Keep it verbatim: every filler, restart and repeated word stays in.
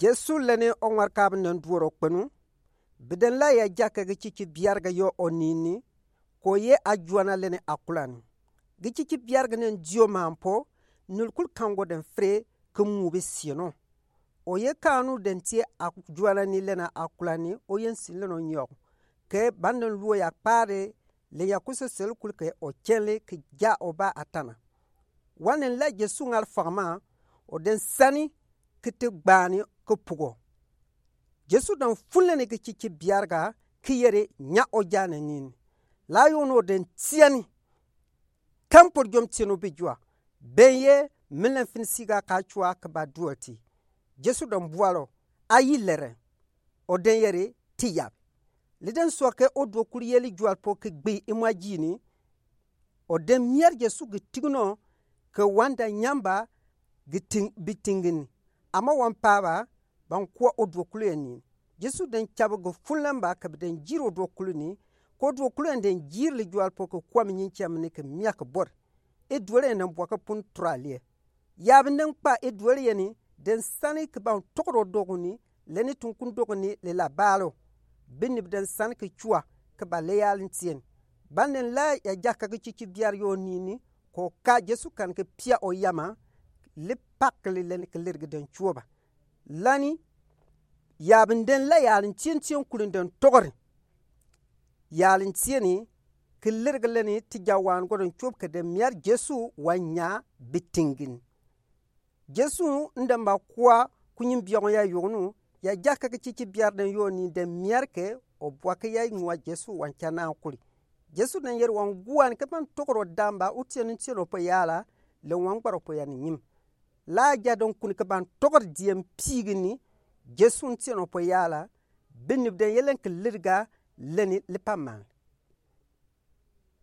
Jesu lɛni ɔŋwareka nen duɔrɔ kpenu, bi den lai a jakɛ gi cici biargɛ yo ɔ nini, ko ye a juana lɛni a kulani. Gi cici biargɛ nen dio mampɔ, nil kul kangɔ den fre ki mubi sieno. Ɔ ye kanu den tie a juana ni lɛni a kulani, ɔ ye nsin lɛni ɔ nyɔk. Kɛ ban den luo ya kpare, lɛ ya kusɛ sel kul kɛ ɔ kyɛnle ki ja ɔ ba a tana. Wa nen la Jesu ŋar fagma, ɔ den sani ki ti gbani ki pugɔ. Jesu den fun lɛni gi cici biarga ki yeri nya ɔ ja nen nini. La yoni ɔ den tiani. Kɛn pɔt jom tiɛn ɔ bi jua. Ben ye min lɛn fin siga ka cua ki ba duɔl ti. Jesu den bualɔ. Ayi lɛrɛ. Ɔ den yeri ti yab. Li den sua kɛ ɔ duɔ kul yeli jual pɔ kɛ gbii imua jini. Ɔ den miar Jesu gi tig nɔ kɛ wan da nyamba gi ting bi tingin. Ama wan paba ban kua ɔ duɔ kul yɛ ni. Jesu den cabi gi fun lɛn ba kɛ bi den jir ɔ duɔ kul ni. Kɛ ɔ duɔ kul yɛ den jir li jual pɔ kɛ kua mi nyin ciɛ mi ni kɛ mia kɛ bɔr. Eduɔl yɛ ni bua kɛ pun tura liɛ. Yabi nen kpa eduɔl yɛ ni den sani ki ban tɔgɔrɔ dɔguni lɛni tunkun dɔguni lɛ la balo. Bini bi den sani ki cua ki ba lɛ yalin tiɛn. Ban nen la ya jakɛ gi cici biar yo nini ko ka Jesu kan ki pia ɔ yama li pak li lɛni ki lir gi den cuɔ ba. Lani yabi den la yalin tiɛn tiɛn kulin den tɔgɔri. Yalin tiɛni ki lir gi lɛni ti ja wan gɔdɔn cuɔb kɛ den miar Jesu wa nya bi tingin. Jesu n den ba kua kunyin biɔgɔ ya yognu ya jakɛ gi cici biar den yo ni den miar kɛ ɔ bua kɛ ya nua Jesu wan ca na kuli. Jesu den yeri wan guan kɛ ban tɔgɔrɔ dan ba u tiɛn tiɛn ɔ pɔ yala lɛ wan gbarɔ pɔ ya ni nyim. La ja den kun kɛ ban tɔgɔrɔ diɛn pigi ni Jesu n tiɛn ɔ pɔ yala. Bini bi den yɛ lɛn kɛ lir ga lɛni li pa man.